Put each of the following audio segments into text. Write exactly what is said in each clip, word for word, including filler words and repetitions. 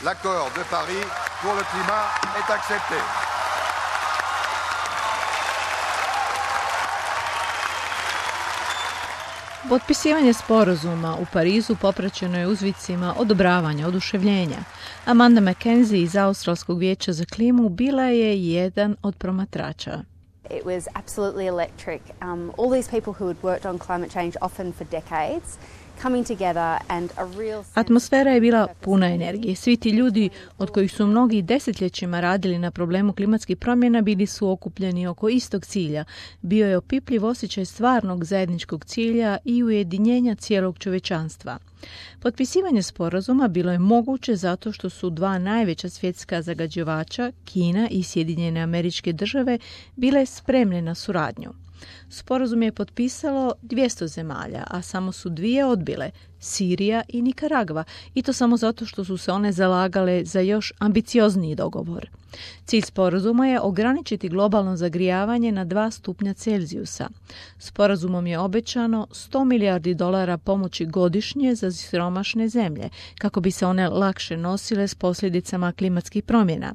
L'accord de Paris pour le climat est accepté. Potpisivanje sporazuma u Parizu popraćeno je uzvicima odobravanja, oduševljenja. Amanda McKenzie iz Australskog vijeća za klimu bila je jedan od promatrača. It was absolutely electric. Um, all these people who had worked on climate change often for decades coming together and a real sense... Atmosfera je bila puna energije. Svi ti ljudi od kojih su mnogi desetljećima radili na problemu klimatskih promjena bili su okupljeni oko istog cilja. Bio je opipljiv osjećaj stvarnog zajedničkog cilja i ujedinjenja cijelog čovječanstva. Potpisivanje sporazuma bilo je moguće zato što su dva najveća svjetska zagađivača, Kina i Sjedinjene Američke Države, bile spremne na suradnju. Sporazum je potpisalo dvjesto zemalja, a samo su dvije odbile, Sirija i Nikaragva, i to samo zato što su se one zalagale za još ambiciozniji dogovor. Cilj sporazuma je ograničiti globalno zagrijavanje na dva stupnja Celzijusa. Sporazumom je obećano sto milijardi dolara pomoći godišnje za siromašne zemlje, kako bi se one lakše nosile s posljedicama klimatskih promjena.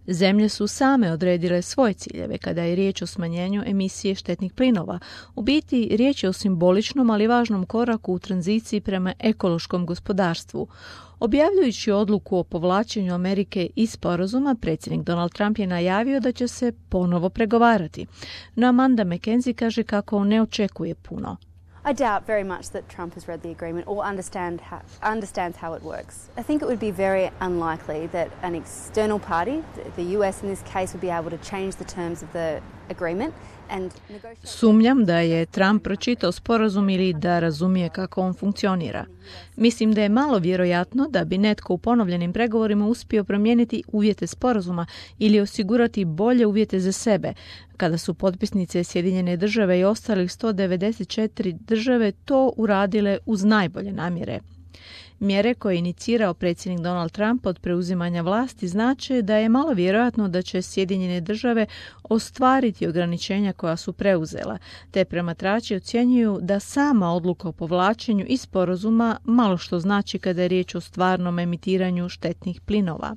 Zemlje su same odredile svoje ciljeve kada je riječ o smanjenju emisije štetnih plinova. U biti, riječ je o simboličnom, ali važnom koraku u tranziciji prema ekološkom gospodarstvu. Objavljujući odluku o povlačenju Amerike iz sporazuma, predsjednik Donald Trump je najavio da će se ponovo pregovarati. No Amanda McKenzie kaže kako ne očekuje puno. I doubt very much that Trump has read the agreement or understand how, understands how it works. I think it would be very unlikely that an external party, the U S in this case, would be able to change the terms of the agreement. Sumnjam da je Trump pročitao sporazum ili da razumije kako on funkcionira. Mislim da je malo vjerojatno da bi netko u ponovljenim pregovorima uspio promijeniti uvjete sporazuma ili osigurati bolje uvjete za sebe, kada su potpisnice Sjedinjene Države i ostalih sto devedeset četiri države to uradile uz najbolje namjere. Mjere koje je inicirao predsjednik Donald Trump od preuzimanja vlasti znače da je malo vjerojatno da će Sjedinjene Države ostvariti ograničenja koja su preuzela, te promatrači ocjenjuju da sama odluka o povlačenju iz sporazuma malo što znači kada je riječ o stvarnom emitiranju štetnih plinova.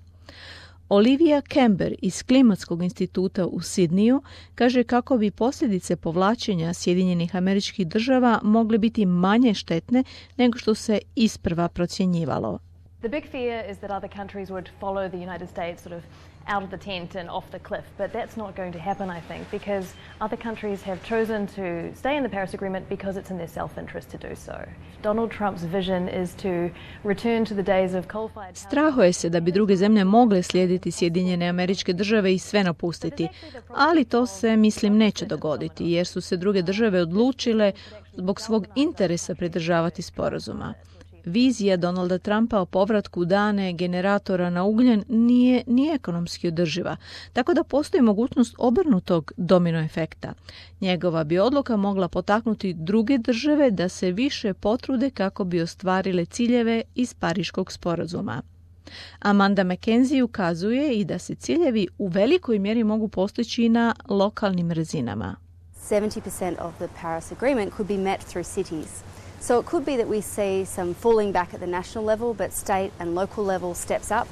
Olivia Kember iz Klimatskog instituta u Sidniju kaže kako bi posljedice povlačenja Sjedinjenih Američkih Država mogle biti manje štetne nego što se isprva procjenjivalo. The big fear is that other countries would follow the United States sort of out of the tent and off the cliff, but that's not going to happen, I think, because other countries have chosen to stay in the Paris Agreement because it's in their self-interest to do so. Donald Trump's vision is to return to the days of coal-fired... Strahuje se da bi druge zemlje mogle slijediti Sjedinjene Američke Države i sve napustiti, ali to se, mislim, neće dogoditi, jer su se druge države odlučile zbog svog interesa pridržavati sporazuma. Vizija Donalda Trumpa o povratku dane generatora na ugljen nije ni ekonomski održiva, tako da postoji mogućnost obrnutog domino efekta. Njegova bi odluka mogla potaknuti druge države da se više potrude kako bi ostvarile ciljeve iz Pariškog sporazuma. Amanda McKenzie ukazuje i da se ciljevi u velikoj mjeri mogu postići na lokalnim razinama. seventy percent of the Paris Agreement could be met through cities. So it could be that we see some falling back at the national level, but state and local level steps up.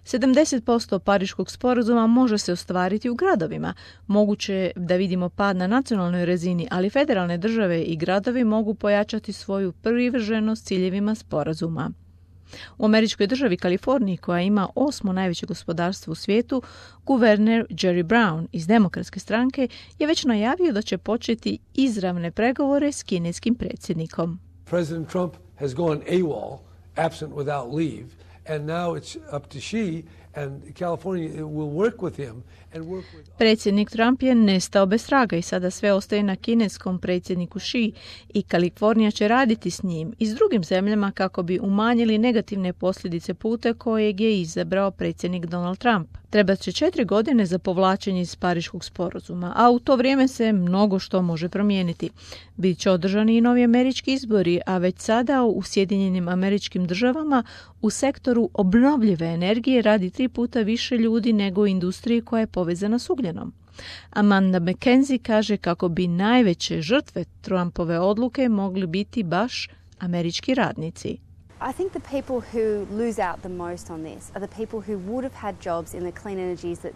sedamdeset posto Pariškog sporazuma može se ostvariti u gradovima. Moguće je da vidimo pad na nacionalnoj razini, ali federalne države i gradovi mogu pojačati svoju privrženost ciljevima sporazuma. U američkoj državi Kaliforniji, koja ima osmo najveće gospodarstvo u svijetu, guverner Jerry Brown iz Demokratske stranke je već najavio da će početi izravne pregovore s kineskim predsjednikom. President Trump has gone AWOL, absent without leave, and now it's up to Xi and California will work with him. Predsjednik Trump je nestao bez traga i sada sve ostaje na kineskom predsjedniku Xi i Kalifornija će raditi s njim i s drugim zemljama kako bi umanjili negativne posljedice puta kojeg je izabrao predsjednik Donald Trump. Trebat će četiri godine za povlačenje iz Pariškog sporazuma, a u to vrijeme se mnogo što može promijeniti. Biće održani i novi američki izbori, a već sada u Sjedinjenim Američkim Državama u sektoru obnovljive energije radi tri puta više ljudi nego u industriji koja je povezana s ugljenom. Amanda McKenzie kaže kako bi najveće žrtve Trumpove odluke mogli biti baš američki radnici. I think the people who lose out the most on this are the people who would have had jobs in the clean energies that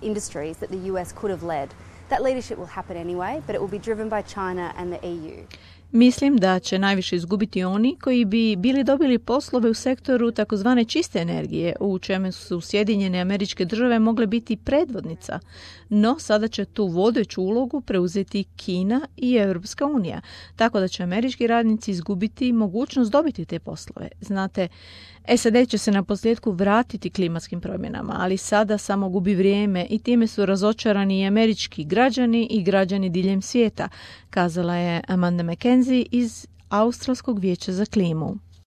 industries that the U S could have led. That leadership will happen anyway, but it will be driven by China and the E U. Mislim da će najviše izgubiti oni koji bi bili dobili poslove u sektoru takozvane čiste energije, u čemu su Sjedinjene Američke Države mogle biti predvodnica. No, sada će tu vodeću ulogu preuzeti Kina i Europska unija, tako da će američki radnici izgubiti mogućnost dobiti te poslove. Znate, S A D će se na posljedku vratiti klimatskim promjenama, ali sada samo gubi vrijeme i time su razočarani i američki građani i građani diljem svijeta, kazala je Amanda McKenzie iz Australskog vijeća za klimu.